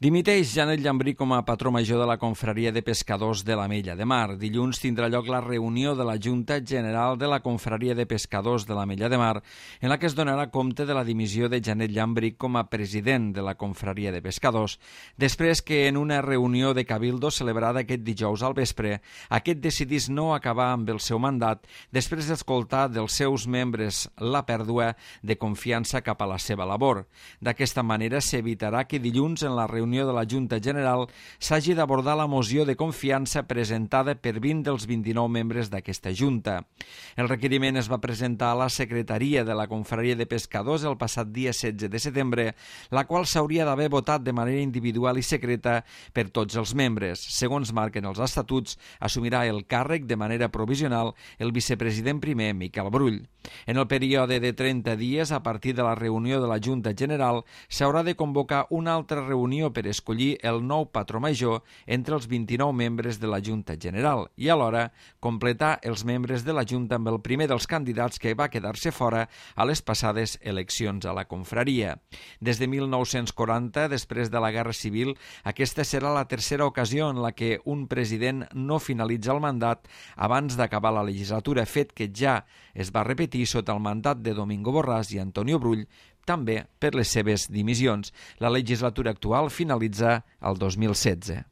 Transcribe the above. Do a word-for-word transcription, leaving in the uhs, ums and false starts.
Dimiteix Janet Llambrí com a patró major de la Confraria de Pescadors de l'Ametlla de Mar. Dilluns tindrà lloc la reunió de la Junta General de la Confraria de Pescadors de l'Ametlla de Mar, en la que es donarà compte de la dimissió de Janet Llambrí com a president de la Confraria de Pescadors, després que en una reunió de Cabildo celebrada aquest dijous al vespre, aquest decidís no acabar amb el seu mandat després d'escoltar dels seus membres la pèrdua de confiança cap a la seva labor. D'aquesta manera s'evitarà que dilluns en la reunió de la Junta General s'hagi d'abordar la moció de confiança presentada per vint dels vint-i-nou membres d'aquesta Junta. El requeriment es va presentar a la Secretaria de la Confraria de Pescadors el passat dia setze de setembre, la qual s'hauria d'haver votat de manera individual i secreta per tots els membres. Segons marquen els estatuts, assumirà el càrrec de manera provisional el vicepresident primer, Miquel Brull. En el període de trenta dies, a partir de la reunió de la Junta General, s'haurà de convocar una altra reunió per escollir el nou patró major entre els vint-i-nou membres de la Junta General i alhora completar els membres de la Junta amb el primer dels candidats que va quedar-se fora a les passades eleccions a la confraria. Des de mil nou-cents quaranta, després de la Guerra Civil, aquesta serà la tercera ocasió en la que un president no finalitza el mandat abans d'acabar la legislatura, fet que ja es va repetir sota el mandat de Domingo Borràs i Antonio Brull, també per les seves dimissions. La legislatura actual finalitza el dos mil setze.